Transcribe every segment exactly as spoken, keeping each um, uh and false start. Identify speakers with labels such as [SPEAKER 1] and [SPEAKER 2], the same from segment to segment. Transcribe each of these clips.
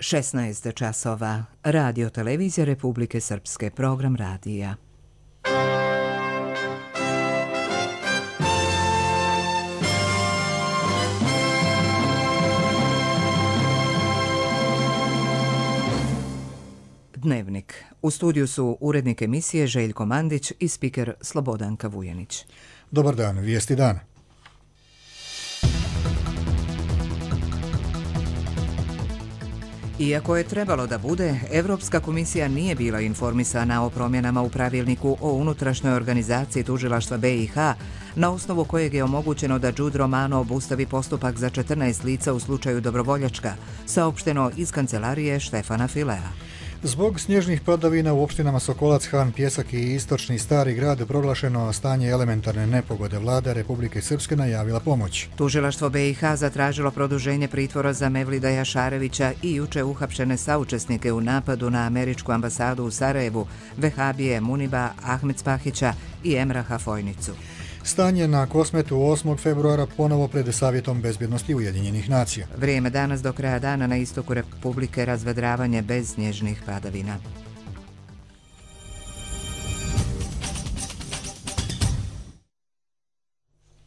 [SPEAKER 1] šesnaest časova. Radio televizija Republike Srpske, program radija. Dnevnik. U studiju su urednik emisije Željko Mandić i spiker Slobodanka Vujanić.
[SPEAKER 2] Dobar dan, vijesti dana.
[SPEAKER 1] Iako je trebalo da bude, Evropska komisija nije bila informisana o promjenama u pravilniku o unutrašnjoj organizaciji tužilaštva B i H, na osnovu kojeg je omogućeno da Đud Romano obustavi postupak za četrnaest lica u slučaju Dobrovoljačka, saopšteno iz kancelarije Štefana Filea.
[SPEAKER 2] Zbog snježnih padavina u opštinama Sokolac, Han, Pjesak i istočni Stari grad proglašeno stanje elementarne nepogode. Vlada Republike Srpske najavila pomoć.
[SPEAKER 1] Tužilaštvo B i H zatražilo produženje pritvora za Mevlida Jašarevića i juče uhapšene saučesnike u napadu na američku ambasadu u Sarajevu, Vehabije Muniba Ahmedspahića i Emraha Fojnicu.
[SPEAKER 2] Stanje na Kosmetu osmog februara ponovo pred Savjetom bezbjednosti Ujedinjenih nacija.
[SPEAKER 1] Vrijeme danas do kraja dana na istoku Republike razvedravanje bez snježnih padavina.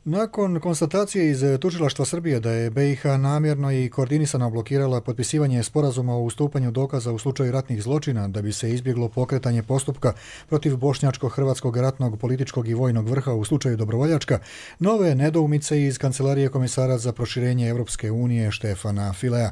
[SPEAKER 2] Nakon konstatacije iz Tužilaštva Srbije da je B i H namjerno i koordinisano blokirala potpisivanje sporazuma o ustupanju dokaza u slučaju ratnih zločina da bi se izbjeglo pokretanje postupka protiv bošnjačko-hrvatskog ratnog političkog i vojnog vrha u slučaju Dobrovoljačka, nove nedoumice iz Kancelarije komesara za proširenje Europske unije Štefana Filea.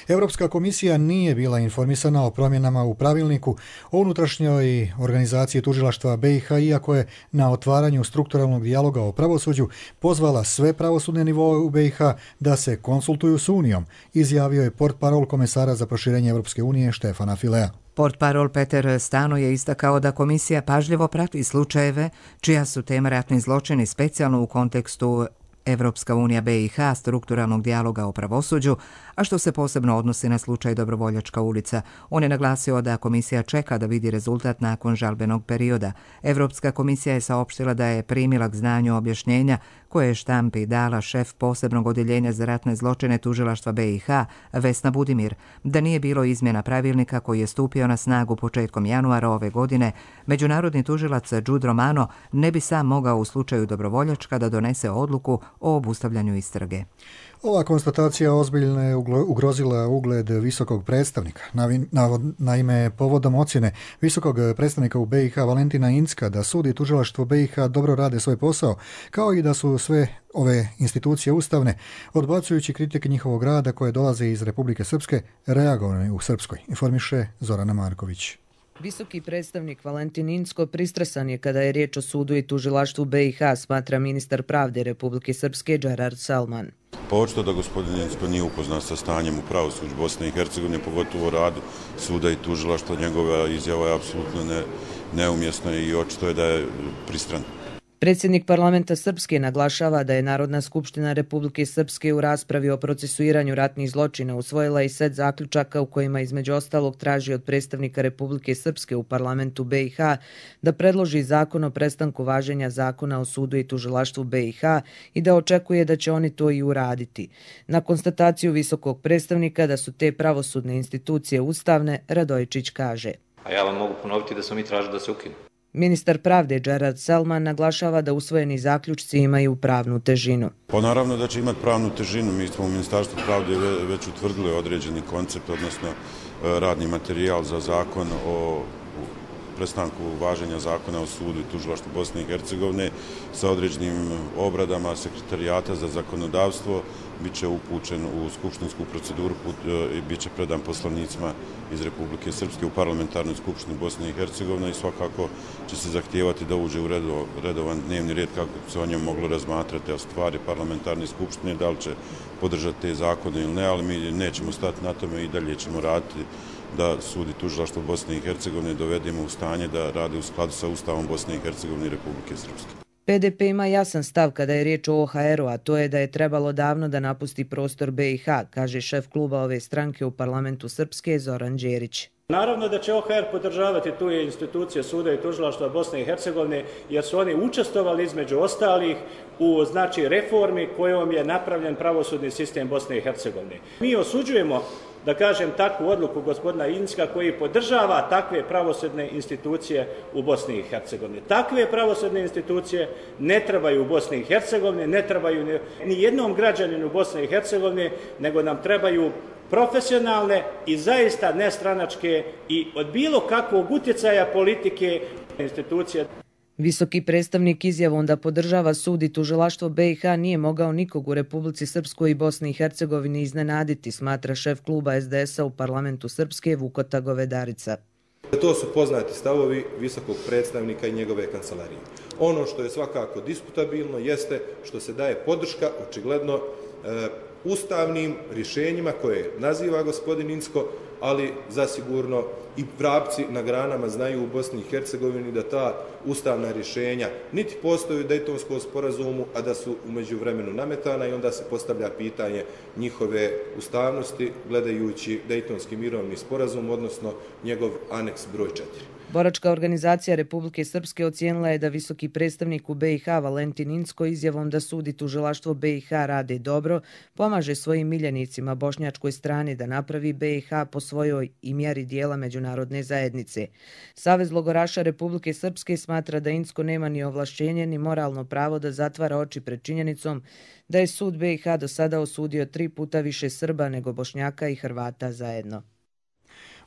[SPEAKER 2] Europska komisija nije bila informisana o promjenama u pravilniku o unutrašnjoj organizaciji tužilaštva B i H, iako je na otvaranju strukturalnog dijaloga o pravosuđu pozvala sve pravosudne nivoe u B i H da se konsultuju s Unijom, izjavio je portparol komesara za proširenje Europske unije Štefana Filea.
[SPEAKER 1] Portparol Peter Stano je istakao da komisija pažljivo prati slučajeve čija su tema ratni zločini specijalno u kontekstu Evropska unija B i H strukturalnog dijaloga o pravosuđu, a što se posebno odnosi na slučaj Dobrovoljačka ulica. On je naglasio da komisija čeka da vidi rezultat nakon žalbenog perioda. Evropska komisija je saopštila da je primila k znanju objašnjenja koje je štampi dala šef posebnog odjeljenja za ratne zločine tužilaštva B i H Vesna Budimir, da nije bilo izmjena pravilnika koji je stupio na snagu početkom januara ove godine. Međunarodni tužilac Đud Romano ne bi sam mogao u slučaju Dobrovoljačka da donese odluku o obustavljanju istrage.
[SPEAKER 2] Ova konstatacija ozbiljno je ugrozila ugled visokog predstavnika. Naime, povodom ocjene visokog predstavnika u B i H Valentina Incka da sud i tužilaštvo B i H dobro rade svoj posao, kao i da su sve ove institucije ustavne, odbacujući kritike njihovog rada koje dolaze iz Republike Srpske, reagovane u Srpskoj, informiše Zorana Marković.
[SPEAKER 3] Visoki predstavnik Valentin Incko pristresan je kada je riječ o sudu i tužilaštvu B i H, smatra ministar pravde Republike Srpske Džerard Salman.
[SPEAKER 4] Pa očito da gospodin Incko nije upoznat sa stanjem u pravosuđu Bosne i Hercegovine, pogotovo radu suda i tužilaštva. Njegova izjava je apsolutno ne, neumjesna i očito je da je pristran.
[SPEAKER 3] Predsjednik parlamenta Srpske naglašava da je Narodna skupština Republike Srpske u raspravi o procesuiranju ratnih zločina usvojila i set zaključaka u kojima između ostalog traži od predstavnika Republike Srpske u parlamentu B i H da predloži zakon o prestanku važenja zakona o sudu i tužilaštvu B i H i da očekuje da će oni to i uraditi. Na konstataciju visokog predstavnika da su te pravosudne institucije ustavne, Radojičić kaže:
[SPEAKER 5] A ja vam mogu ponoviti da smo mi tražili da se ukinu.
[SPEAKER 3] Ministar pravde Džerard Salman naglašava da usvojeni zaključci imaju pravnu težinu.
[SPEAKER 4] Pa naravno da će imati pravnu težinu. Mi smo u Ministarstvu pravde već utvrdili određeni koncept, odnosno radni materijal za zakon o prestanku važenja zakona o sudu i tužilaštvu Bosne i Hercegovine sa određenim obradama Sekretarijata za zakonodavstvo. Biće upućen u skupštinsku proceduru i bit će predan poslanicima iz Republike Srpske u parlamentarnoj skupštini Bosne i Hercegovine i svakako će se zahtijevati da uđe u redovan dnevni red kako se o njemu moglo razmatrati, a stvari parlamentarne skupštine da li će podržati te zakone ili ne, ali mi nećemo stati na tome i dalje ćemo raditi da sud i tužilaštvo Bosne i Hercegovine dovedemo u stanje da rade u skladu sa Ustavom Bosne i Hercegovine i Republike Srpske.
[SPEAKER 3] P D P ima jasan stav kada je riječ o O H R-u, a to je da je trebalo davno da napusti prostor B i H, kaže šef kluba ove stranke u parlamentu Srpske Zoran Đerić.
[SPEAKER 6] Naravno da će O H R podržavati tu institucije suda i tužilaštva Bosne i Hercegovine, jer su oni učestvovali između ostalih u znači reformi kojom je napravljen pravosudni sistem Bosne i Hercegovine. Mi osuđujemo da kažem, takvu odluku gospodina Incka koji podržava takve pravosudne institucije u Bosni i Hercegovini. Takve pravosudne institucije ne trebaju u Bosni i Hercegovini, ne trebaju ni jednom građaninu Bosne i Hercegovine, nego nam trebaju profesionalne i zaista nestranačke i od bilo kakvog utjecaja politike institucije.
[SPEAKER 3] Visoki predstavnik izjavom da podržava sud i tužilaštvo B i H nije mogao nikog u Republici Srpskoj i Bosni i Hercegovini iznenaditi, smatra šef kluba S D S-a u parlamentu Srpske Vukota Govedarica.
[SPEAKER 7] To su poznati stavovi visokog predstavnika i njegove kancelarije. Ono što je svakako diskutabilno jeste što se daje podrška očigledno e, ustavnim rješenjima koje naziva gospodin Incko, ali zasigurno i vrapci na granama znaju u Bosni i Hercegovini da ta ustavna rješenja niti postoje u Dejtonskom sporazumu, a da su u međuvremenu nametana i onda se postavlja pitanje njihove ustavnosti gledajući Dejtonski mirovni sporazum, odnosno njegov aneks broj četiri.
[SPEAKER 3] Boračka organizacija Republike Srpske ocijenila je da visoki predstavnik u B i H Valentin Incko izjavom da sud i tužilaštvo B i H rade dobro, pomaže svojim miljenicima bošnjačkoj strani da napravi B i H po svojoj i mjeri dijela međunarodne zajednice. Savez logoraša Republike Srpske smatra da Incko nema ni ovlašćenje ni moralno pravo da zatvara oči pred činjenicom da je sud B i H do sada osudio tri puta više Srba nego Bošnjaka i Hrvata zajedno.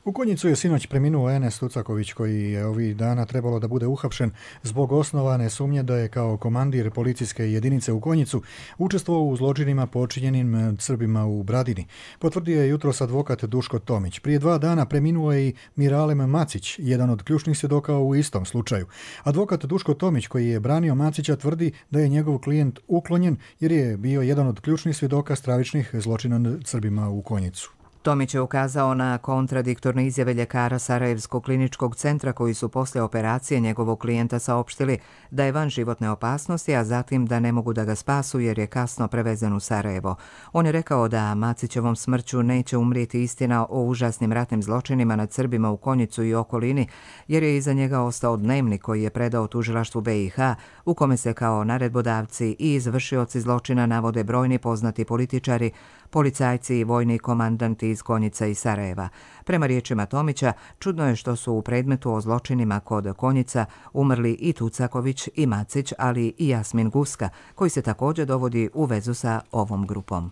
[SPEAKER 2] U Konjicu je sinoć preminuo Enes Tucaković koji je ovih dana trebalo da bude uhapšen zbog osnovane sumnje da je kao komandir policijske jedinice u Konjicu učestvovao u zločinima počinjenim Srbima u Bradini. Potvrdio je jutros advokat Duško Tomić. Prije dva dana preminuo je i Miralem Macić, jedan od ključnih svjedoka u istom slučaju. Advokat Duško Tomić koji je branio Macića tvrdi da je njegov klijent uklonjen jer je bio jedan od ključnih svjedoka stravičnih zločina nad Srbima u Konjicu.
[SPEAKER 1] Tomić je ukazao na kontradiktorne izjave ljekara Sarajevskog kliničkog centra koji su poslije operacije njegovog klijenta saopštili da je van životne opasnosti, a zatim da ne mogu da ga spasu jer je kasno prevezen u Sarajevo. On je rekao da Macićevom smrću neće umrijeti istina o užasnim ratnim zločinima nad Srbima u Konjicu i okolini, jer je iza njega ostao dnevnik koji je predao tužilaštvu B i H, u kome se kao naredbodavci i izvršioci zločina navode brojni poznati političari, policajci i vojni komandanti iz Konjica i Sarajeva. Prema riječima Tomića, čudno je što su u predmetu o zločinima kod Konjica umrli i Tucaković i Macić, ali i Jasmin Guska, koji se također dovodi u vezu sa ovom grupom.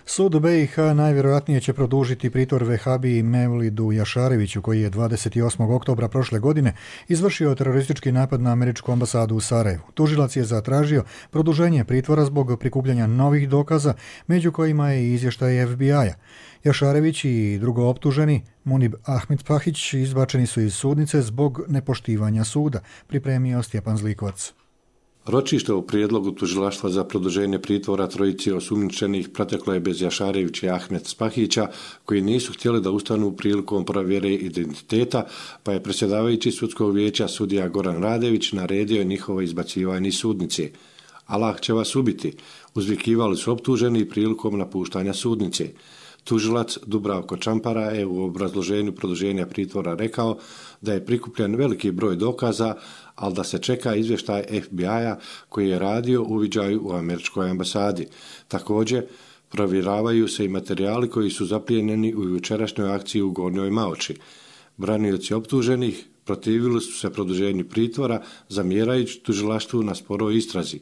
[SPEAKER 2] Sud B i H najvjerojatnije će produžiti pritvor vehabiji Mevlidu Jašareviću koji je dvadeset osmog oktobra prošle godine izvršio teroristički napad na američku ambasadu u Sarajevu. Tužilac je zatražio produženje pritvora zbog prikupljanja novih dokaza, među kojima je i izvještaj F B I-a. Jašarević i drugo optuženi, Munib Ahmedpahić, izbačeni su iz sudnice zbog nepoštivanja suda, pripremio Stjepan Zlikovac.
[SPEAKER 8] Ročište u prijedlogu tužilaštva za produženje pritvora trojici osumnjičenih proteklo je bez Jašarevića i Ahmed Spahića, koji nisu htjeli da ustanu prilikom provjere identiteta, pa je predsjedavajući sudskog vijeća sudija Goran Radević naredio njihovo izbacivanje iz sudnice. Allah će vas ubiti, uzvikivali su optuženi prilikom napuštanja sudnice. Tužilac Dubravko Čampara je u obrazloženju produženja pritvora rekao da je prikupljen veliki broj dokaza, ali da se čeka izvještaj F B I-a koji je radio uviđaju u američkoj ambasadi. Također, provjeravaju se i materijali koji su zaplijenjeni u jučerašnjoj akciji u Gornjoj Maoči. Branioci optuženih protivili su se produženju pritvora, zamjerajući tužilaštvu na sporoj istrazi.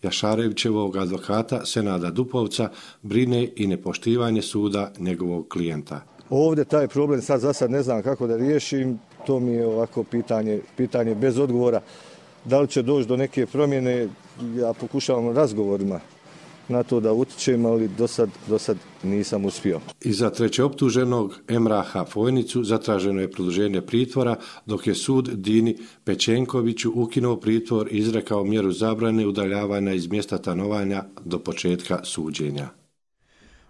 [SPEAKER 8] Jašarevićevog advokata Senada Dupovca brine i nepoštivanje suda njegovog klijenta.
[SPEAKER 9] Ovdje taj problem sad za sad ne znam kako da riješim, to mi je ovako pitanje, pitanje bez odgovora. Da li će doći do neke promjene, ja pokušavam razgovorima na to da utičem, ali do sad, do sad nisam uspio.
[SPEAKER 8] I za treće optuženog Emraha Fojnicu zatraženo je produženje pritvora, dok je sud Dini Pečenkoviću ukinuo pritvor i izrekao mjeru zabrane udaljavanja iz mjesta stanovanja do početka suđenja.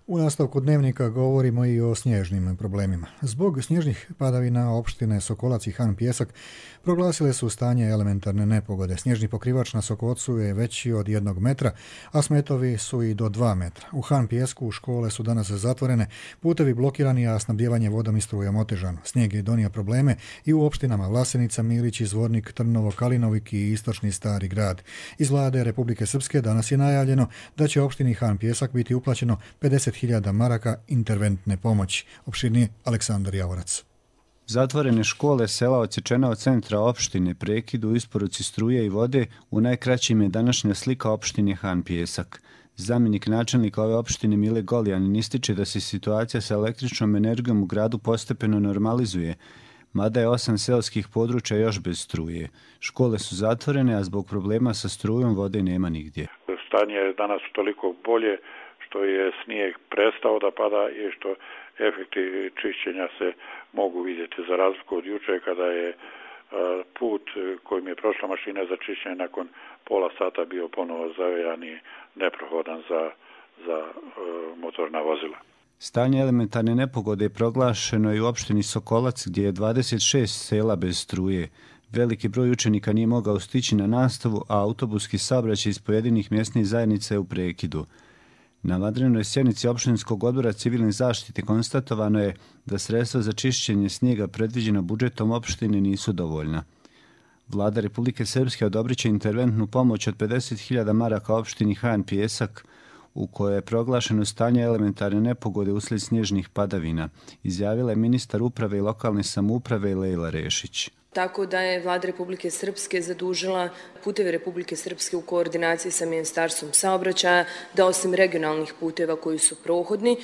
[SPEAKER 2] U nastavku dnevnika govorimo i o snježnim problemima. Zbog snježnih padavina opštine Sokolac i Han Pijesak proglasile su stanje elementarne nepogode. Snježni pokrivač na Sokolcu je veći od jednog metra, a smetovi su i do dva metra. U Han Pijesku škole su danas zatvorene, putevi blokirani, a snabdjevanje vodom i strujom otežano. Snijeg je donio probleme i u opštinama Vlasenica, Milić, Zvornik, Trnovo, Kalinovik i istočni Stari grad. Iz vlade Republike Srpske danas je najavljeno da će opštini Han Pijesak biti uplaćeno pedeset hiljada maraka interventne pomoći. Opširnije Aleksandar Javorac.
[SPEAKER 10] Zatvorene škole, sela odsječena od centra opštine, prekid u isporuci struje i vode, u najkraćim je današnja slika opštine Han Pijesak. Zamjenik načelnika ove opštine Mile Goljanin ističe da se situacija sa električnom energijom u gradu postepeno normalizuje, mada je osam seoskih područja još bez struje. Škole su zatvorene, a zbog problema sa strujom vode nema nigdje.
[SPEAKER 11] Stanje je danas toliko bolje što je snijeg prestao da pada i što efekti čišćenja se mogu vidjeti, za razliku od juče kada je put kojim je prošla mašina za čišćenje nakon pola sata bio ponovo zavejan i neprohodan za, za motorna vozila.
[SPEAKER 10] Stanje elementarne nepogode je proglašeno i u opštini Sokolac, gdje je dvadeset šest sela bez struje. Veliki broj učenika nije mogao stići na nastavu, a autobuski saobraćaj iz pojedinih mjesnih zajednica je u prekidu. Na vanrednoj sjednici opštinskog odbora civilne zaštite konstatovano je da sredstva za čišćenje snijega predviđena budžetom opštine nisu dovoljna. Vlada Republike Srpske odobrit će interventnu pomoć od pedeset hiljada maraka opštini Han Pijesak, u kojoj je proglašeno stanje elementarne nepogode uslijed snježnih padavina, izjavila je ministar uprave i lokalne samouprave Lejla Rešić.
[SPEAKER 12] Tako da je Vlada Republike Srpske zadužila Puteve Republike Srpske u koordinaciji sa Ministarstvom saobraćaja da osim regionalnih puteva koji su prohodni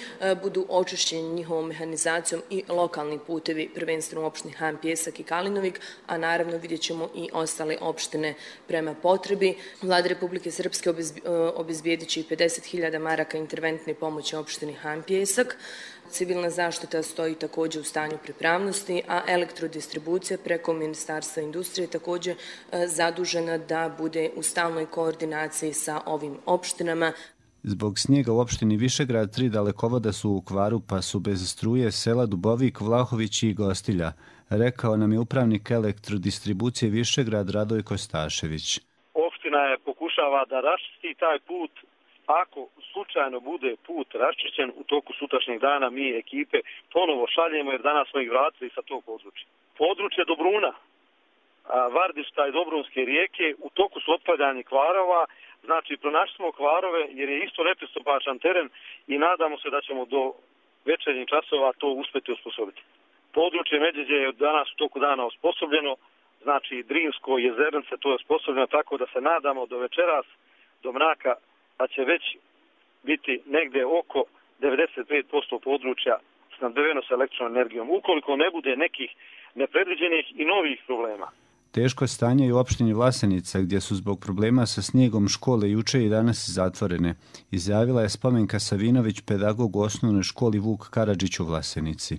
[SPEAKER 12] budu očišćeni njihovom mehanizacijom i lokalni putevi, prvenstveno u opštini Han Pijesak i Kalinovik, a naravno vidjet ćemo i ostale opštine prema potrebi. Vlada Republike Srpske obezbijedit će i pedeset hiljada maraka interventne pomoći opštini Han Pijesak. Civilna zaštita stoji također u stanju pripravnosti, a elektrodistribucija preko Ministarstva industrije također zadužena da bude u stalnoj koordinaciji sa ovim opštinama.
[SPEAKER 10] Zbog snijega u opštini Višegrad tri dalekovoda su u kvaru, pa su bez struje sela Dubovik, Vlahović i Gostilja, rekao nam je upravnik elektrodistribucije Višegrad Radoj Kostašević.
[SPEAKER 13] Opština je pokušava da raščisti taj put. Ako slučajno bude put raščišćen u toku sutrašnjeg dana, mi ekipe ponovo šaljemo, jer danas smo ih vratili sa tog područja. Područje Dobruna, Vardišta i Dobrunske rijeke u toku su otpadanje kvarova, znači pronašli smo kvarove jer je isto nepristupačan teren i nadamo se da ćemo do večernjih časova to uspjeti osposobiti. Područje Međeđe je danas u toku dana osposobljeno, znači Drinsko jezernice to je osposobljeno, tako da se nadamo do večeras, do mraka, da će već biti negdje oko devedeset pet posto područja snabdeveno sa električnom energijom, ukoliko ne bude nekih nepredviđenih i novih problema.
[SPEAKER 10] Teško stanje je u opštini Vlasenica, gdje su zbog problema sa snijegom škole juče i danas zatvorene, izjavila je Spomenka Savinović, pedagog u osnovnoj školi Vuk Karadžić u Vlasenici.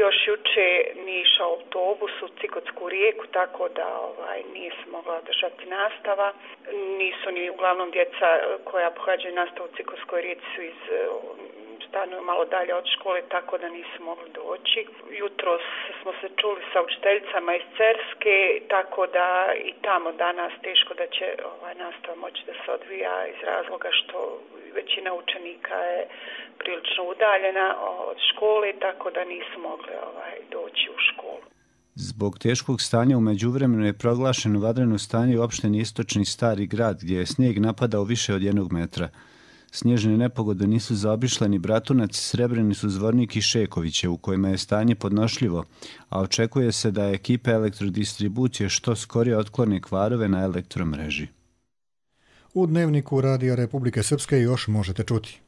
[SPEAKER 14] Još juče nije išao autobus u Cikotsku rijeku, tako da ovaj, nije se mogla održati nastava. Nisu ni uglavnom djeca koja pohađaju nastavu u Cikotskoj rijeci su iz stanuju malo dalje od škole, tako da nisu mogli doći. Jutros smo se čuli sa učiteljicama iz Cerske, tako da i tamo danas teško da će ovaj, nastava moći da se odvija iz razloga što većina učenika je prilično udaljena od škole, tako da nisu mogli ovaj, doći u školu.
[SPEAKER 10] Zbog teškog stanja u međuvremenu je proglašeno vanredno stanje u opštini Istočni Stari Grad, gdje je snijeg napadao više od jednog metra. Snježne nepogode nisu zaobišle ni Bratunac, Srebrenicu, Zvornik i Šekoviće, u kojima je stanje podnošljivo, a očekuje se da ekipe elektrodistribucije što skorije otklone kvarove na elektromreži.
[SPEAKER 2] U dnevniku Radija Republike Srpske još možete čuti.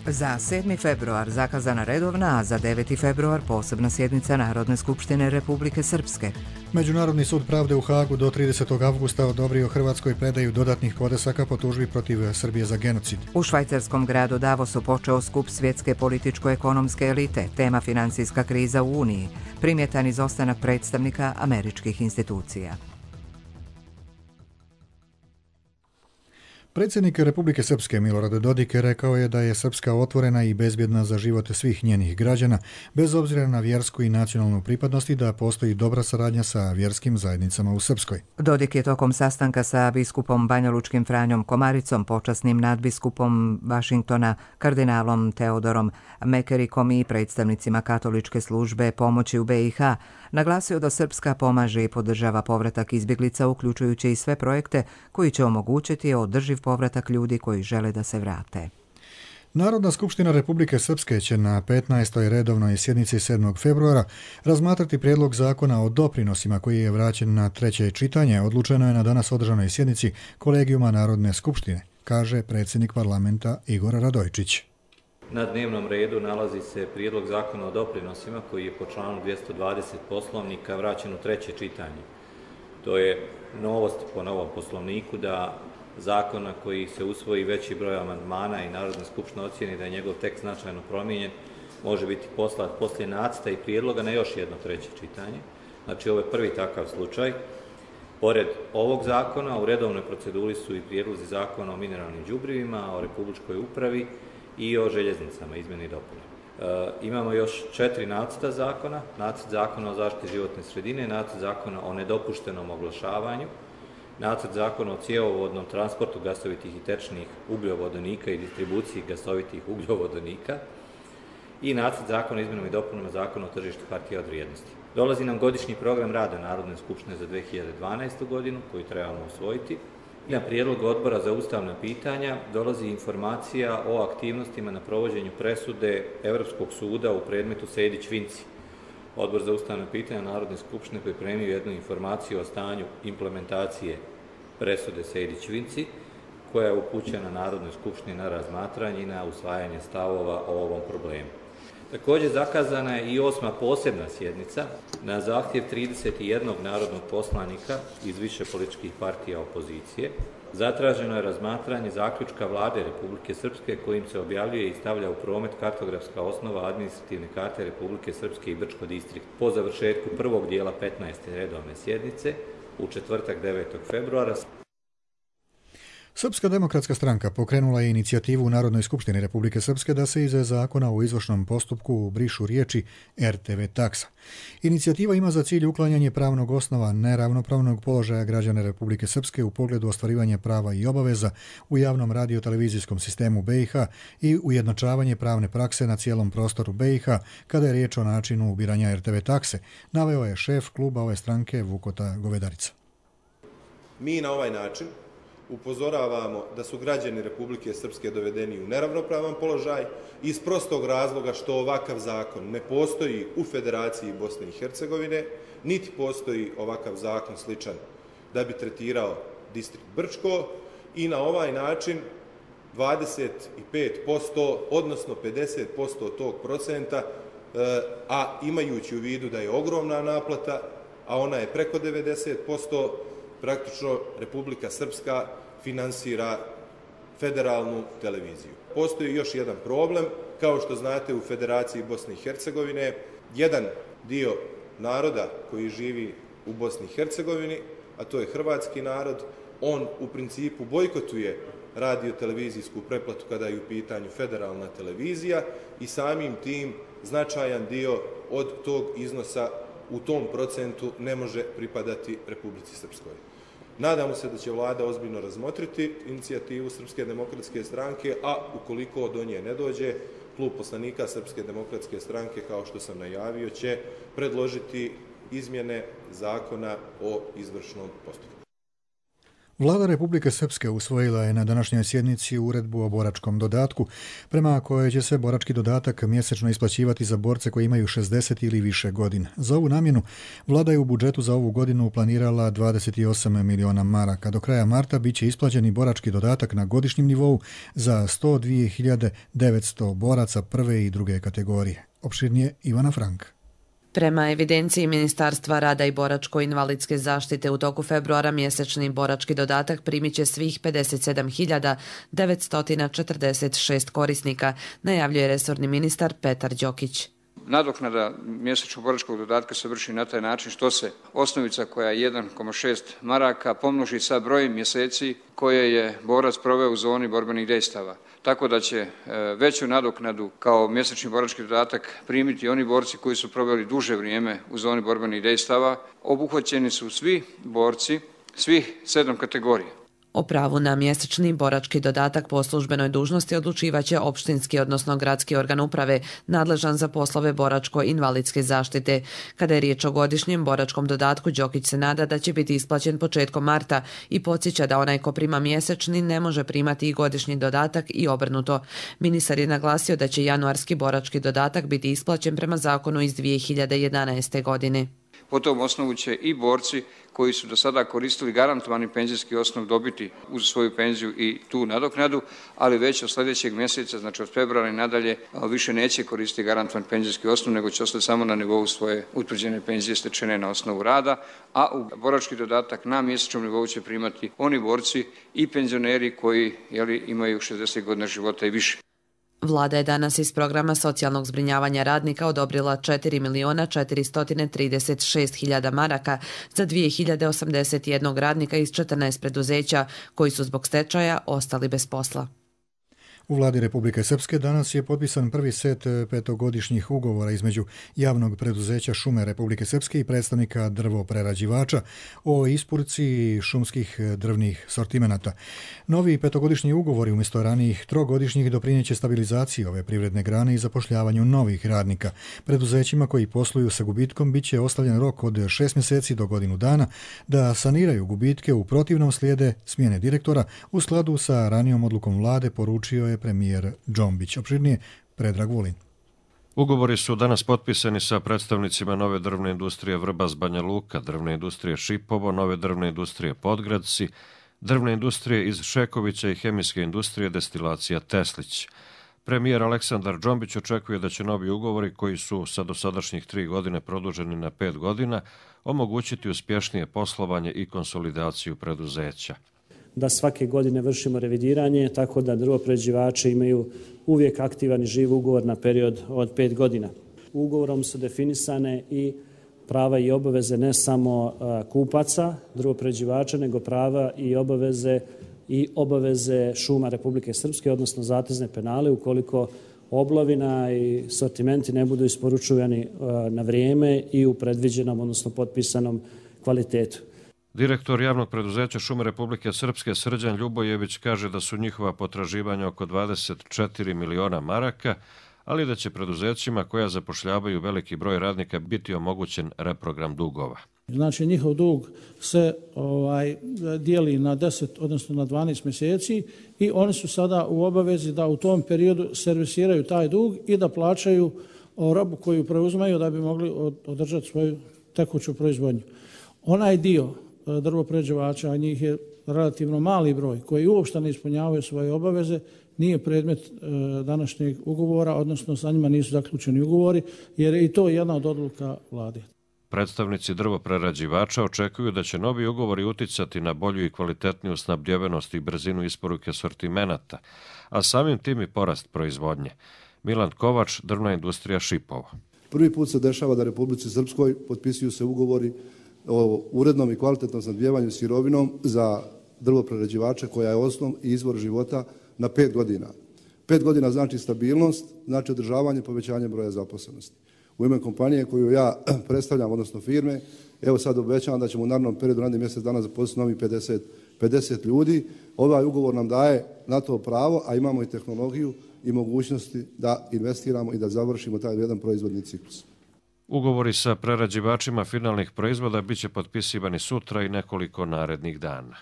[SPEAKER 1] Za sedmi februar zakazana redovna, a za deveti februar posebna sjednica Narodne skupštine Republike Srpske.
[SPEAKER 2] Međunarodni sud pravde u Hagu do tridesetog avgusta odobrio Hrvatskoj predaju dodatnih podnesaka po tužbi protiv Srbije za genocid.
[SPEAKER 1] U švajcarskom gradu Davosu počeo skup svjetske političko-ekonomske elite, tema financijska kriza u Uniji, primjetan izostanak predstavnika američkih institucija.
[SPEAKER 2] Predsjednik Republike Srpske Milorad Dodik rekao je da je Srpska otvorena i bezbjedna za život svih njenih građana, bez obzira na vjersku i nacionalnu pripadnost i da postoji dobra saradnja sa vjerskim zajednicama u Srpskoj.
[SPEAKER 1] Dodik je tokom sastanka sa biskupom banjalučkim Franjom Komaricom, počasnim nadbiskupom Vašingtona, kardinalom Teodorom Mekerikom i predstavnicima katoličke službe pomoći u B i H Naglasio da Srpska pomaže i podržava povratak izbjeglica, uključujući i sve projekte koji će omogućiti održiv povratak ljudi koji žele da se vrate.
[SPEAKER 2] Narodna skupština Republike Srpske će na petnaestoj redovnoj sjednici sedmog februara razmatrati prijedlog zakona o doprinosima koji je vraćen na treće čitanje. Odlučeno je na danas održanoj sjednici Kolegijuma Narodne skupštine, kaže predsjednik parlamenta Igor Radojčić.
[SPEAKER 5] Na dnevnom redu nalazi se prijedlog zakona o doprinosima koji je po članu dvjesto dvadeset poslovnika vraćen u treće čitanje. To je novost po novom poslovniku da zakona koji se usvoji veći broj amandmana i Narodna skupština ocijeni da je njegov tekst značajno promijenjen, može biti poslat poslije nacrta i prijedloga na još jedno treće čitanje. Znači, ovo je prvi takav slučaj. Pored ovog zakona, u redovnoj proceduri su i prijedlozi zakona o mineralnim đubrivima, o republičkoj upravi i o željeznicama, izmjene i dopune. E, imamo još četiri nacrta zakona, nacrt zakona o zaštiti životne sredine, nacrt zakona o nedopuštenom oglašavanju, nacrt zakona o cjevovodnom transportu gasovitih i tečnih ugljovodonika i distribuciji gasovitih ugljovodonika i nacrt zakona o izmjenama i dopunama zakona o tržištu hartija od vrijednosti. Dolazi nam godišnji program rada Narodne skupštine za dvije hiljade dvanaestu. godinu koju trebamo usvojiti. I na prijedlog Odbora za ustavna pitanja dolazi informacija o aktivnostima na provođenju presude Europskog suda u predmetu Sejdić-Vinci. Odbor za ustavna pitanja Narodne skupštine pripremio jednu informaciju o stanju implementacije presude Sejdić-Vinci, koja je upućena Narodnoj skupštini na razmatranje i na usvajanje stavova o ovom problemu. Također zakazana je i osma posebna sjednica na zahtjev trideset jednog narodnog poslanika iz više političkih partija opozicije. Zatraženo je razmatranje zaključka Vlade Republike Srpske kojim se objavljuje i stavlja u promet kartografska osnova administrativne karte Republike Srpske i Brčko distrikt. Po završetku prvog dijela petnaeste redovne sjednice u četvrtak devetog februara.
[SPEAKER 2] Srpska demokratska stranka pokrenula je inicijativu u Narodnoj skupštini Republike Srpske da se iz zakona o izvršnom postupku brišu riječi er te ve taksa. Inicijativa ima za cilj uklanjanje pravnog osnova neravnopravnog položaja građana Republike Srpske u pogledu ostvarivanja prava i obaveza u javnom radio-televizijskom sistemu be i ha i ujednačavanje pravne prakse na cijelom prostoru be i ha kada je riječ o načinu ubiranja er te ve takse, naveo je šef kluba ove stranke Vukota Govedarica.
[SPEAKER 7] Mi na ovaj način upozoravamo da su građani Republike Srpske dovedeni u neravnopravan položaj iz prostog razloga što ovakav zakon ne postoji u Federaciji Bosne i Hercegovine, niti postoji ovakav zakon sličan da bi tretirao distrikt Brčko i na ovaj način dvadeset pet posto, odnosno pedeset posto tog procenta, a imajući u vidu da je ogromna naplata, a ona je preko devedeset posto, praktično Republika Srpska finansira federalnu televiziju. Postoji još jedan problem, kao što znate u Federaciji Bosne i Hercegovine, jedan dio naroda koji živi u Bosni i Hercegovini, a to je hrvatski narod, on u principu bojkotuje radio-televizijsku pretplatu kada je u pitanju federalna televizija i samim tim značajan dio od tog iznosa u tom procentu ne može pripadati Republici Srpskoj. Nadamo se da će vlada ozbiljno razmotriti inicijativu Srpske demokratske stranke, a ukoliko do nje ne dođe, klub poslanika Srpske demokratske stranke, kao što sam najavio, će predložiti izmjene zakona o izvršnom postupku.
[SPEAKER 2] Vlada Republike Srpske usvojila je na današnjoj sjednici uredbu o boračkom dodatku, prema kojoj će se borački dodatak mjesečno isplaćivati za borce koji imaju šezdeset ili više godina. Za ovu namjenu vlada je u budžetu za ovu godinu planirala dvadeset osam miliona maraka. Do kraja marta bit će isplaćen i borački dodatak na godišnjem nivou za sto dvije hiljade devetsto boraca prve i druge kategorije. Opširnije Ivana Frank.
[SPEAKER 3] Prema evidenciji Ministarstva rada i boračko-invalidske zaštite u toku februara mjesečni borački dodatak primit će svih pedeset sedam hiljada devetsto četrdeset šest korisnika, najavljuje resorni ministar Petar Đokić.
[SPEAKER 15] Nadoknada mjesečnog boračkog dodatka se vrši na taj način što se osnovica koja je jedan zarez šest maraka pomnoži sa brojem mjeseci koje je borac proveo u zoni borbenih dejstava. Tako da će veću nadoknadu kao mjesečni borački dodatak primiti oni borci koji su proveli duže vrijeme u zoni borbenih dejstava. Obuhvaćeni su svi borci, svih sedam kategorija.
[SPEAKER 3] O pravu na mjesečni borački dodatak po službenoj dužnosti odlučivaće opštinski, odnosno gradski organ uprave nadležan za poslove boračko-invalidske zaštite. Kada je riječ o godišnjem boračkom dodatku, Đokić se nada da će biti isplaćen početkom marta i podsjeća da onaj ko prima mjesečni ne može primati i godišnji dodatak i obrnuto. Ministar je naglasio da će januarski borački dodatak biti isplaćen prema zakonu iz dvije hiljade jedanaeste. godine.
[SPEAKER 15] Po tom osnovu će i borci koji su do sada koristili garantovani penzijski osnov dobiti uz svoju penziju i tu nadoknadu, ali već od sljedećeg mjeseca, znači od februara i nadalje, više neće koristiti garantovan penzijski osnov, nego će ostati samo na nivou svoje utvrđene penzije stečene na osnovu rada, a u borački dodatak na mjesečnom nivou će primati oni borci i penzioneri koji jeli, imaju šezdeset godina života i više.
[SPEAKER 3] Vlada je danas iz programa socijalnog zbrinjavanja radnika odobrila četiri miliona četiristo trideset šest hiljada maraka za dvije hiljade osamdeset jedan radnika iz četrnaest preduzeća koji su zbog stečaja ostali bez posla.
[SPEAKER 2] U vladi Republike Srpske danas je potpisan prvi set petogodišnjih ugovora između javnog preduzeća Šume Republike Srpske i predstavnika drvoprerađivača o isporuci šumskih drvnih sortimenata. Novi petogodišnji ugovori umjesto ranijih trogodišnjih doprinijeće stabilizaciji ove privredne grane i zapošljavanju novih radnika. Preduzećima koji posluju sa gubitkom bit će ostavljen rok od šest mjeseci do godinu dana da saniraju gubitke, u protivnom slijede smjene direktora u skladu sa ranijom odlukom vlade, poručio je premijer Džombić. Opširnije Predrag Vulin.
[SPEAKER 16] Ugovori su danas potpisani sa predstavnicima nove drvne industrije Vrbas Banja Luka, drvne industrije Šipovo, nove drvne industrije Podgradci, drvne industrije iz Šekovića i hemijske industrije destilacija Teslić. Premijer Aleksandar Džombić očekuje da će novi ugovori, koji su sa dosadašnjih tri godine produženi na pet godina, omogućiti uspješnije poslovanje i konsolidaciju preduzeća.
[SPEAKER 17] Da svake godine vršimo revidiranje, tako da drvoprerađivači imaju uvijek aktivan i živ ugovor na period od pet godina. Ugovorom su definisane i prava i obaveze ne samo kupaca, drvoprerađivača, nego prava i obaveze i obaveze Šuma Republike Srpske, odnosno zatezne penale, ukoliko oblovina i sortimenti ne budu isporučivani na vrijeme i u predviđenom, odnosno potpisanom kvalitetu.
[SPEAKER 16] Direktor javnog preduzeća Šume Republike Srpske Srđan Ljubojević kaže da su njihova potraživanja oko dvadeset četiri miliona maraka, ali da će preduzećima koja zapošljavaju veliki broj radnika biti omogućen reprogram dugova.
[SPEAKER 18] Znači njihov dug se ovaj, dijeli na deset, odnosno na dvanaest mjeseci i oni su sada u obavezi da u tom periodu servisiraju taj dug i da plaćaju robu koju preuzmaju da bi mogli održati svoju tekuću proizvodnju. Onaj dio drvoprerađivača, a njih je relativno mali broj, koji uopšte ne ispunjavaju svoje obaveze, nije predmet e, današnjeg ugovora, odnosno sa njima nisu zaključeni ugovori, jer je i to jedna od odluka vlade.
[SPEAKER 16] Predstavnici drvoprerađivača očekuju da će novi ugovori uticati na bolju i kvalitetniju snabdjevenost i brzinu isporuke sortimenata, a samim tim i porast proizvodnje. Milan Kovač, drvna industrija Šipovo.
[SPEAKER 19] Prvi put se dešava da Republici Srpskoj potpisuju se ugovori o urednom i kvalitetnom snabdijevanju sirovinom za drvoprerađivače koja je osnov i izvor života na pet godina. Pet godina znači stabilnost, znači održavanje i povećanje broja zaposlenosti. U ime kompanije koju ja predstavljam, odnosno firme, evo sad obećavam da ćemo u narednom periodu, narednih mjesec dana zaposliti novi pedeset, pedeset ljudi. Ovaj ugovor nam daje na to pravo, a imamo i tehnologiju i mogućnosti da investiramo i da završimo taj jedan proizvodni ciklus.
[SPEAKER 16] Ugovori sa prerađivačima finalnih proizvoda biće potpisivani sutra i nekoliko narednih dana.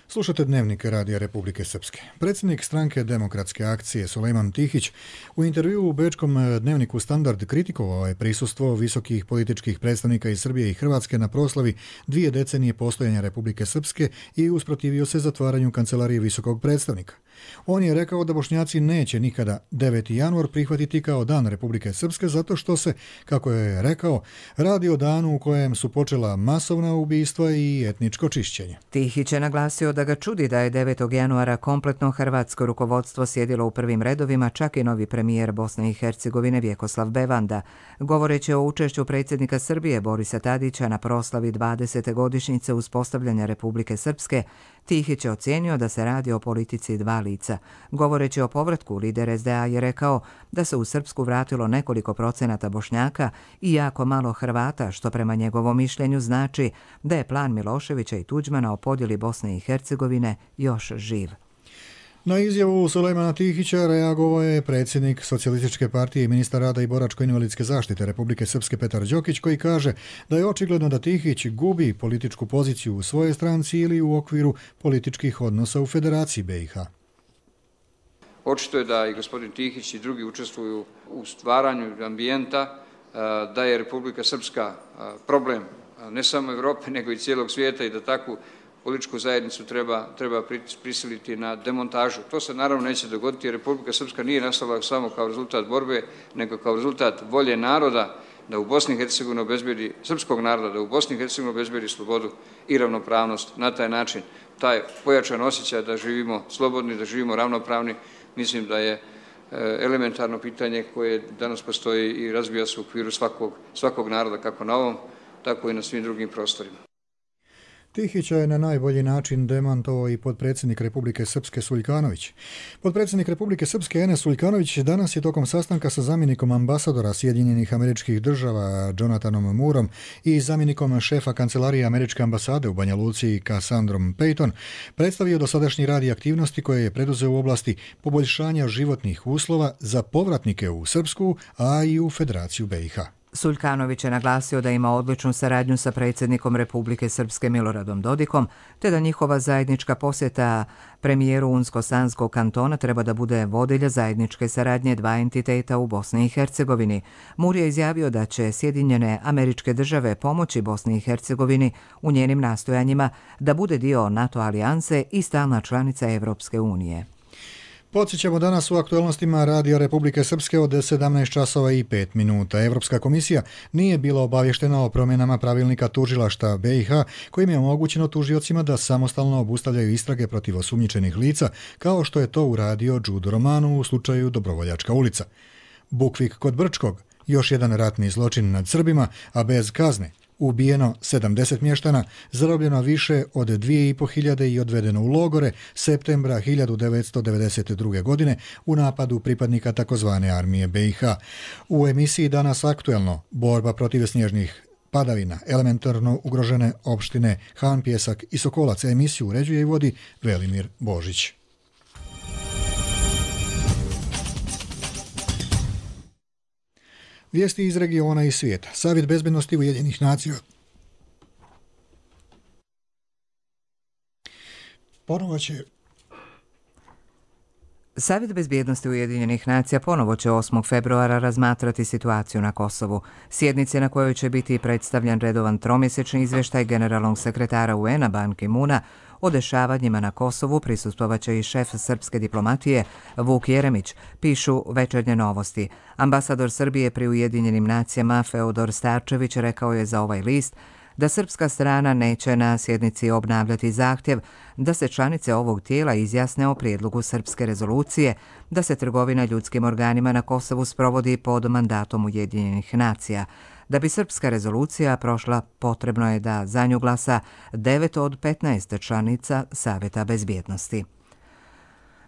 [SPEAKER 2] Slušate Dnevnik Radija Republike Srpske. Predsjednik stranke Demokratske akcije Sulejman Tihić u intervjuu u bečkom dnevniku Standard kritikovao je prisustvo visokih političkih predstavnika iz Srbije i Hrvatske na proslavi dvije decenije postojanja Republike Srpske i usprotivio se zatvaranju kancelarije visokog predstavnika. On je rekao da Bošnjaci neće nikada deveti januar prihvatiti kao dan Republike Srpske zato što se, kako je rekao, radi o danu u kojem su počela masovna ubistva i etničko čišćenje.
[SPEAKER 1] Tihić je naglasio da ga čudi da je devetog januara kompletno hrvatsko rukovodstvo sjedilo u prvim redovima, čak i novi premijer Bosne i Hercegovine Vjekoslav Bevanda. Govoreći o učešću predsjednika Srbije Borisa Tadića na proslavi dvadesete godišnjice uspostavljanja Republike Srpske, Tihić je ocijenio da se radi o politici dva lica. Govoreći o povratku, lider es de a je rekao da se u Srpsku vratilo nekoliko procenata Bošnjaka i jako malo Hrvata, što prema njegovom mišljenju znači da je plan Miloševića i Tuđmana o podjeli Bosne i Hercegovine još živ.
[SPEAKER 2] Na izjavu Sulejmana Tihića reagovao je predsjednik Socijalističke partije i ministar rada i boračko-invalidske zaštite Republike Srpske Petar Đokić, koji kaže da je očigledno da Tihić gubi političku poziciju u svojoj stranci ili u okviru političkih odnosa u Federaciji be i ha.
[SPEAKER 15] Očito je da i gospodin Tihić i drugi učestvuju u stvaranju ambijenta, da je Republika Srpska problem ne samo Evrope nego i cijelog svijeta i da takvu političku zajednicu treba, treba prisiliti na demontažu. To se naravno neće dogoditi jer Republika Srpska nije nastala samo kao rezultat borbe, nego kao rezultat volje naroda da u Bosni i Hercegovini obezbedi, srpskog naroda, da u Bosni i Hercegovini obezbedi slobodu i ravnopravnost. Na taj način, taj pojačan osjećaj da živimo slobodni, da živimo ravnopravni, mislim da je elementarno pitanje koje danas postoji i razvija se u okviru svakog, svakog naroda, kako na ovom, tako i na svim drugim prostorima.
[SPEAKER 2] Tihića je na najbolji način demantovao i potpredsjednik Republike Srpske Suljkanović. Potpredsjednik Republike Srpske Enes Suljkanović danas je tokom sastanka sa zamjenikom ambasadora Sjedinjenih Američkih Država Jonathanom Moorom i zamjenikom šefa kancelarije Američke ambasade u Banja Luci Cassandrom Payton predstavio dosadašnji rad i aktivnosti koje je preduzeo u oblasti poboljšanja životnih uslova za povratnike u Srpsku, a i u Federaciju be i ha.
[SPEAKER 1] Suljkanović je naglasio da ima odličnu saradnju sa predsjednikom Republike Srpske Miloradom Dodikom, te da njihova zajednička posjeta premijeru Unsko-Sanskog kantona treba da bude vodilja zajedničke saradnje dva entiteta u Bosni i Hercegovini. Moore je izjavio da će Sjedinjene Američke Države pomoći Bosni i Hercegovini u njenim nastojanjima da bude dio NATO alijanse i stalna članica Evropske unije.
[SPEAKER 2] Podsjećamo danas u aktualnostima Radija Republike Srpske od sedamnaest časova i pet minuta. Evropska komisija nije bila obavještena o promjenama pravilnika tužilaštva be i ha, kojim je omogućeno tužiocima da samostalno obustavljaju istrage protiv osumnjičenih lica, kao što je to uradio Đudo Romanu u slučaju Dobrovoljačka ulica. Bukvik kod Brčkog, još jedan ratni zločin nad Srbima, a bez kazne. Ubijeno sedamdeset mještana, zarobljeno više od dvije i po hiljade i odvedeno u logore septembra hiljadu devetsto devedeset druge. godine u napadu pripadnika takozvane armije be i ha. U emisiji Danas aktuelno borba protiv snježnih padavina, elementarno ugrožene opštine Han, Pjesak i Sokolac. Emisiju uređuje i vodi Velimir Božić. Vijesti iz regiona i svijeta. Savjet bezbednosti Ujedinjenih nacija ponovo će
[SPEAKER 1] Savjet bezbjednosti Ujedinjenih nacija ponovo će osmog februara razmatrati situaciju na Kosovu. Sjednice na kojoj će biti predstavljen redovan tromjesečni izvještaj generalnog sekretara u en a Ban Ki-moona o dešavanjima na Kosovu prisustvovaće i šef srpske diplomatije Vuk Jeremić, pišu Večernje novosti. Ambasador Srbije pri Ujedinjenim nacijama Feodor Starčević rekao je za ovaj list da srpska strana neće na sjednici obnavljati zahtjev da se članice ovog tijela izjasne o prijedlogu srpske rezolucije da se trgovina ljudskim organima na Kosovu sprovodi pod mandatom Ujedinjenih nacija. Da bi srpska rezolucija prošla, potrebno je da za nju glasa devet od petnaest članica Savjeta bezbjednosti.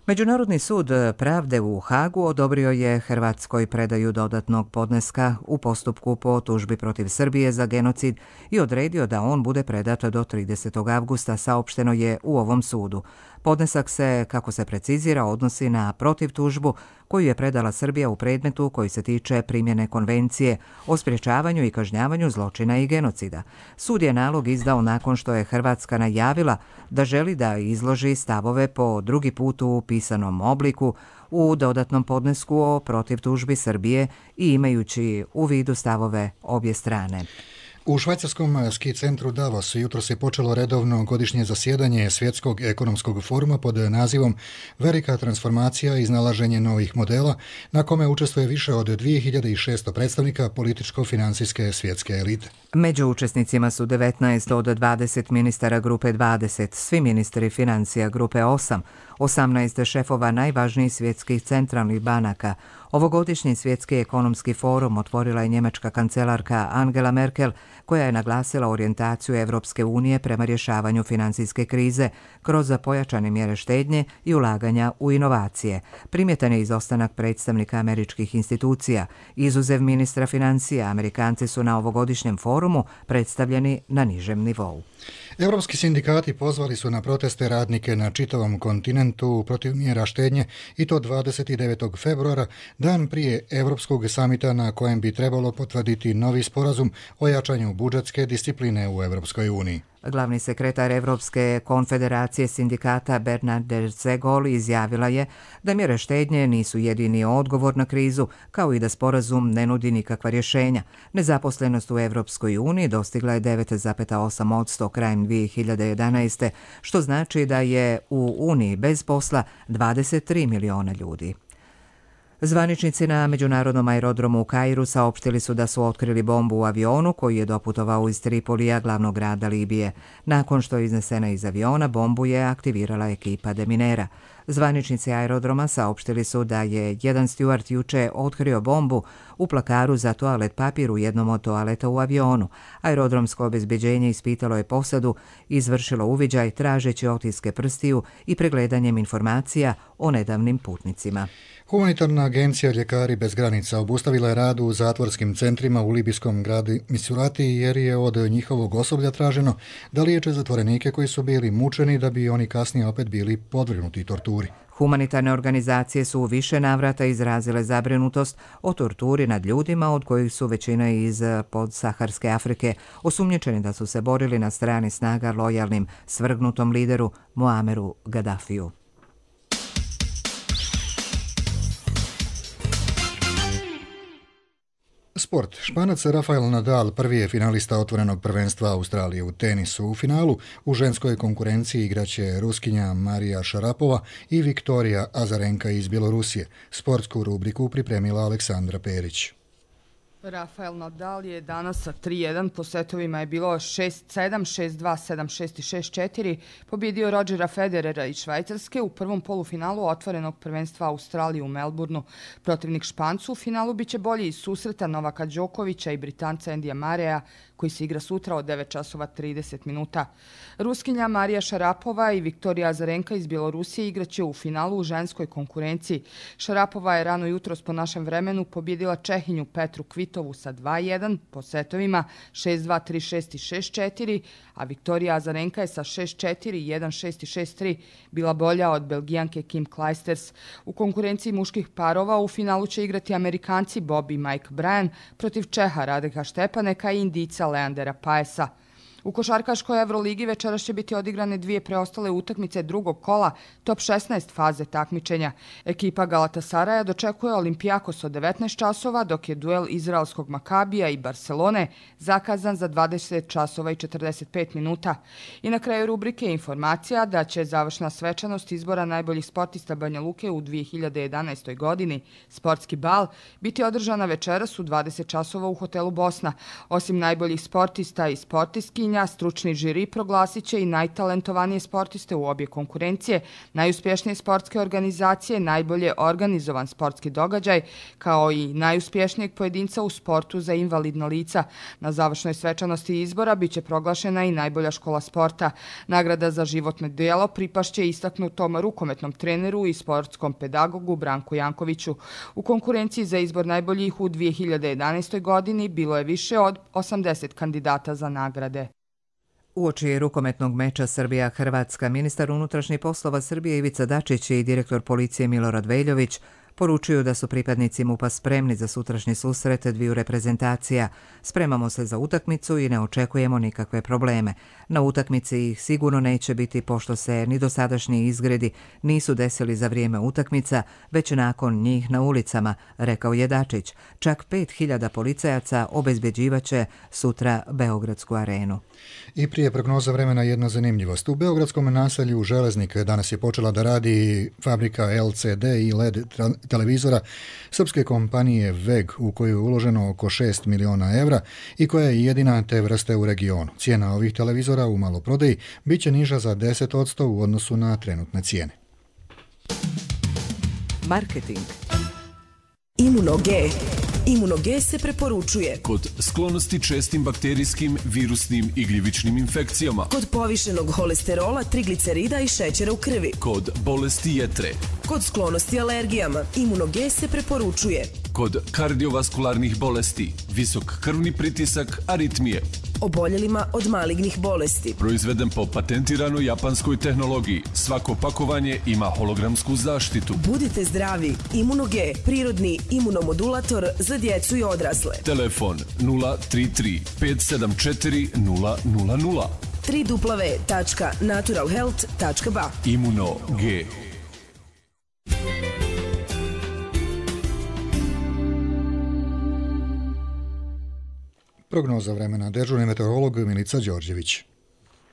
[SPEAKER 1] Međunarodni sud pravde u Hagu odobrio je Hrvatskoj predaju dodatnog podneska u postupku po tužbi protiv Srbije za genocid i odredio da on bude predat do tridesetog avgusta, saopšteno je u ovom sudu. Podnesak se, kako se precizira, odnosi na protivtužbu koju je predala Srbija u predmetu koji se tiče primjene konvencije o sprječavanju i kažnjavanju zločina i genocida. Sud je nalog izdao nakon što je Hrvatska najavila da želi da izloži stavove po drugi put u pisanom obliku u dodatnom podnesku o protivtužbi Srbije i imajući u vidu stavove obje strane.
[SPEAKER 2] U švajcarskom ski centru Davos jutro se počelo redovno godišnje zasjedanje Svjetskog ekonomskog foruma pod nazivom Velika transformacija i iznalaženje novih modela, na kome učestvuje više od dvije hiljade šesto predstavnika političko-financijske svjetske elite.
[SPEAKER 1] Među učesnicima su devetnaest od dvadeset ministara grupe dvadeset, svi ministri financija grupe osam, osamnaest šefova najvažnijih svjetskih centralnih banaka. Ovogodišnji svjetski ekonomski forum otvorila je njemačka kancelarka Angela Merkel, koja je naglasila orijentaciju Evropske unije prema rješavanju financijske krize kroz pojačane mjere štednje i ulaganja u inovacije. Primjetan je izostanak predstavnika američkih institucija. Izuzev ministra financija, Amerikanci su na ovogodišnjem forumu predstavljeni na nižem nivou.
[SPEAKER 2] Europski sindikati pozvali su na proteste radnike na čitavom kontinentu protiv mjera štednje i to dvadeset devetog februara, dan prije Europskog samita na kojem bi trebalo potvrditi novi sporazum o jačanju budžetske discipline u Europskoj uniji.
[SPEAKER 1] Glavni sekretar Evropske konfederacije sindikata Bernadette Zegol izjavila je da mjere štednje nisu jedini odgovor na krizu, kao i da sporazum ne nudi nikakva rješenja. Nezaposlenost u Evropskoj uniji dostigla je devet zarez osam posto krajem dvije hiljade jedanaeste. što znači da je u Uniji bez posla dvadeset tri miliona ljudi. Zvaničnici na međunarodnom aerodromu u Kairu saopštili su da su otkrili bombu u avionu koji je doputovao iz Tripolija, glavnog grada Libije. Nakon što je iznesena iz aviona, bombu je aktivirala ekipa deminera. Zvaničnici aerodroma saopštili su da je jedan stjuard juče otkrio bombu u plakaru za toalet papir u jednom od toaleta u avionu. Aerodromsko obezbeđenje ispitalo je posadu, izvršilo uviđaj tražeći otiske prstiju i pregledanjem informacija o nedavnim putnicima.
[SPEAKER 2] Humanitarna agencija Ljekari bez granica obustavila je rad u zatvorskim centrima u libijskom gradu Misurati jer je od njihovog osoblja traženo da liječe zatvorenike koji su bili mučeni da bi oni kasnije opet bili podvrgnuti torturi.
[SPEAKER 1] Humanitarne organizacije su u više navrata izrazile zabrinutost o torturi nad ljudima, od kojih su većina iz podsaharske Afrike, osumnjičeni da su se borili na strani snaga lojalnim svrgnutom lideru Muameru Gaddafiju.
[SPEAKER 2] Sport. Španac Rafael Nadal prvi je finalista otvorenog prvenstva Australije u tenisu. U finalu u ženskoj konkurenciji igraće Ruskinja Marija Šarapova i Viktorija Azarenka iz Bjelorusije. Sportsku rubriku pripremila Aleksandra Perić.
[SPEAKER 20] Rafael Nadal je danas sa tri jedan, po setovima je bilo šest sedam, šest dva, sedam šest i šest četiri, pobjedio Rodgera Federera iz Švajcarske u prvom polufinalu otvorenog prvenstva Australije u Melbourneu. Protivnik Špancu u finalu biće bolji iz susreta Novaka Đokovića i Britanca Endija Mareja, koji se igra sutra od devet časova trideset minuta. Ruskinja Marija Šarapova i Viktorija Azarenka iz Bjelorusije igraće u finalu u ženskoj konkurenciji. Šarapova je rano jutros po našem vremenu pobjedila Čehinju Petru Kvitovu sa dva jedan po setovima šest dva, tri šest i šest četiri, a Viktorija Azarenka je sa šest četiri, jedan šest i šest tri bila bolja od Belgijanke Kim Clijsters. U konkurenciji muških parova u finalu će igrati Amerikanci Bob i Mike Bryan protiv Čeha Radeka Štepaneka i Indijca Leandera Paesa. U košarkaškoj Evroligi večeras će biti odigrane dvije preostale utakmice drugog kola top šesnaest faze takmičenja. Ekipa Galatasaraja dočekuje Olimpijakos od devetnaest časova, dok je duel izraelskog Makabija i Barcelone zakazan za dvadeset časova i četrdeset pet minuta. I na kraju rubrike informacija da će završna svečanost izbora najboljih sportista Banja Luke u dvije hiljade jedanaestoj godini, sportski bal, biti održana večeras u dvadeset časova u hotelu Bosna. Osim najboljih sportista i sportistkinja, stručni žiri proglasit će i najtalentovanije sportiste u obje konkurencije, najuspješnije sportske organizacije, najbolje organizovan sportski događaj, kao i najuspješnijeg pojedinca u sportu za invalidna lica. Na završnoj svečanosti izbora biće proglašena i najbolja škola sporta. Nagrada za životno djelo pripašće istaknutom rukometnom treneru i sportskom pedagogu Branku Jankoviću. U konkurenciji za izbor najboljih u dvije hiljade jedanaestoj godini bilo je više od osamdeset kandidata za nagrade.
[SPEAKER 1] Uoči rukometnog meča Srbija-Hrvatska, ministar unutrašnjih poslova Srbije Ivica Dačić i direktor policije Milorad Veljović poručuju da su pripadnici MUP-a spremni za sutrašnji susret dviju reprezentacija. Spremamo se za utakmicu i ne očekujemo nikakve probleme. Na utakmici ih sigurno neće biti, pošto se ni dosadašnji izgredi nisu desili za vrijeme utakmica, već nakon njih na ulicama, rekao je Dačić. Čak pet hiljada policajaca obezbeđivaće sutra Beogradsku arenu.
[SPEAKER 2] I prije prognoza vremena jedna zanimljivost. U beogradskom naselju Železnik danas je počela da radi fabrika L C D i L E D televizora srpske kompanije V E G, u koju je uloženo oko šest miliona evra i koja je jedina te vrste u regionu. Cijena ovih televizora u maloprodaji bit će niža za deset posto u odnosu na trenutne cijene.
[SPEAKER 1] Marketing.
[SPEAKER 21] Imuno-G. Imuno-G se preporučuje
[SPEAKER 22] kod sklonosti čestim bakterijskim, virusnim i gljivičnim infekcijama,
[SPEAKER 21] kod povišenog holesterola, triglicerida i šećera u krvi,
[SPEAKER 22] kod bolesti jetre,
[SPEAKER 21] kod sklonosti alergijama. Imuno-G se preporučuje
[SPEAKER 22] kod kardiovaskularnih bolesti, visok krvni pritisak, aritmije,
[SPEAKER 21] oboljelima od malignih bolesti.
[SPEAKER 22] Proizveden po patentiranoj japanskoj tehnologiji. Svako pakovanje ima hologramsku zaštitu.
[SPEAKER 21] Budite zdravi. Imuno-G, prirodni imunomodulator za djecu i odrasle.
[SPEAKER 22] Telefon nula tri tri pet sedam četiri nula nula nula.
[SPEAKER 21] w w w tačka natural health tačka b a.
[SPEAKER 22] Imuno-G.
[SPEAKER 2] Prognoza vremena, dežurni meteorolog Milica Đorđević.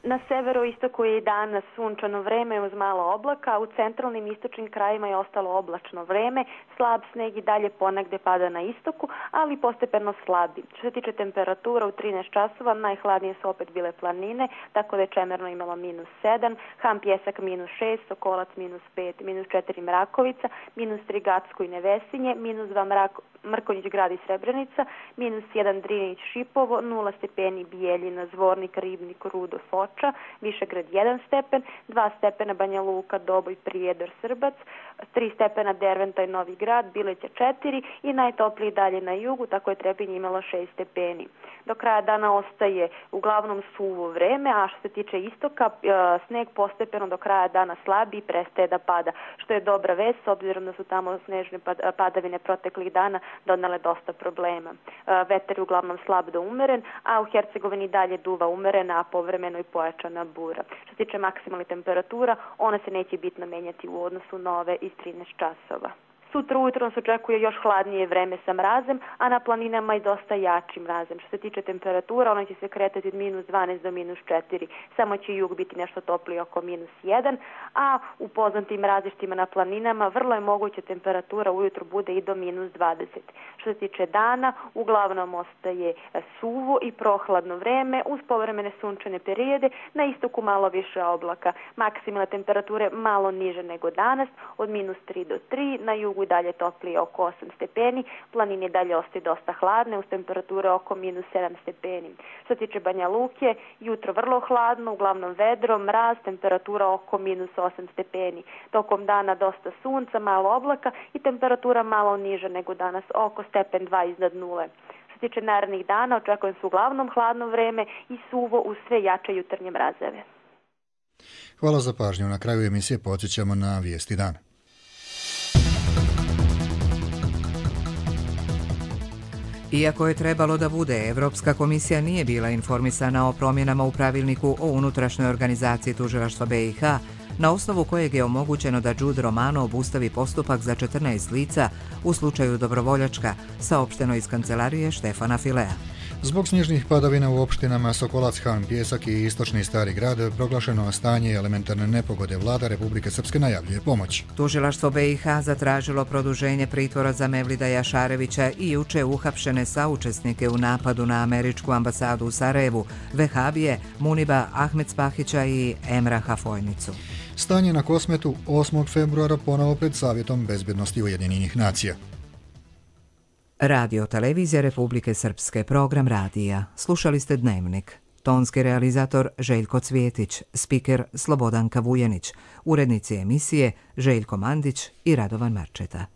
[SPEAKER 23] Na severoistoku je i danas sunčano vreme uz malo oblaka, u centralnim istočnim krajima je ostalo oblačno vreme, slab sneg i dalje ponegde pada na istoku, ali postepeno slabi. Što se tiče temperatura, u trinaest časova najhladnije su opet bile planine, tako da je Čemerno imalo minus sedam, Ham Pjesak minus šest, Sokolac minus pet, minus četiri Mrakovica, minus tri Gacko i Nevesinje, minus dva Mrak, Mrkonjić grad i Srebrenica, minus jedan Drinić Šipovo, nula stepeni Bijeljina, Zvornik, Ribnik, Rudo, Foča, Višegrad jedan stepen, dva stepena Banja Luka, Doboj, Prijedor, Srbac, tri stepena Derventa i Novi Grad, Bileća četiri i najtopliji dalje na jugu, tako je Trebinje imalo šest stepeni. Do kraja dana ostaje uglavnom suvo vreme, a što se tiče istoka, sneg postepeno do kraja dana slabi i prestaje da pada, što je dobra vest s obzirom da su tamo snežne padavine proteklih dana donale dosta problema. Vetar je uglavnom slab do umeren, a u Hercegovini dalje duva umerena, a povremeno i pojačana bura. Što se tiče maksimalnih temperatura, ona se neće bitno menjati u odnosu na ove iz trinaest časova. Sutra ujutro nas očekuje još hladnije vreme sa mrazem, a na planinama i dosta jači mrazem. Što se tiče temperatura, ona će se kretati od minus dvanaest do minus četiri. Samo će jug biti nešto topliji oko minus jedan, a u poznatim različitima na planinama vrlo je moguće temperatura ujutro bude i do minus dvadeset. Što se tiče dana, uglavnom ostaje suvo i prohladno vreme uz povremene sunčane periode, na istoku malo više oblaka. Maksimalne temperature malo niže nego danas, od minus tri do tri, na jugu i dalje toplije oko osam stepeni, planine dalje ostaje dosta hladne uz temperature oko minus sedam stepeni. Što se tiče Banja Luke, jutro vrlo hladno, uglavnom vedro, mraz, temperatura oko minus osam stepeni. Tokom dana dosta sunca, malo oblaka i temperatura malo niže nego danas, oko stepen dva iznad nule. Što se tiče narednih dana, očekujem se uglavnom hladno vreme i suvo uz sve jače jutarnje mrazeve.
[SPEAKER 2] Hvala za pažnju. Na kraju emisije podsjećamo na vijesti dana.
[SPEAKER 1] Iako je trebalo da bude, Evropska komisija nije bila informisana o promjenama u pravilniku o unutrašnjoj organizaciji tužilaštva B i H, na osnovu kojeg je omogućeno da Đud Romano obustavi postupak za četrnaest lica u slučaju Dobrovoljačka, saopšteno iz kancelarije Štefana Filea.
[SPEAKER 2] Zbog snježnih padavina u opštinama Sokolac, Han Pjesak i Istočni Stari Grad proglašeno stanje elementarne nepogode, vlada Republike Srpske najavljuje pomoć.
[SPEAKER 1] Tužilaštvo B i H zatražilo produženje pritvora za Mevlida Jašarevića i juče uhapšene saučesnike u napadu na američku ambasadu u Sarajevu, Vehabije, Muniba Ahmedspahića i Emra Hafojnicu.
[SPEAKER 2] Stanje na Kosmetu osmog februara ponovo pred Savjetom bezbjednosti Ujedinjenih nacija.
[SPEAKER 1] Radio Televizija Republike Srpske, program radija. Slušali ste Dnevnik. Tonski realizator Željko Cvjetić, spiker Slobodanka Vujenić, urednici emisije Željko Mandić i Radovan Marčeta.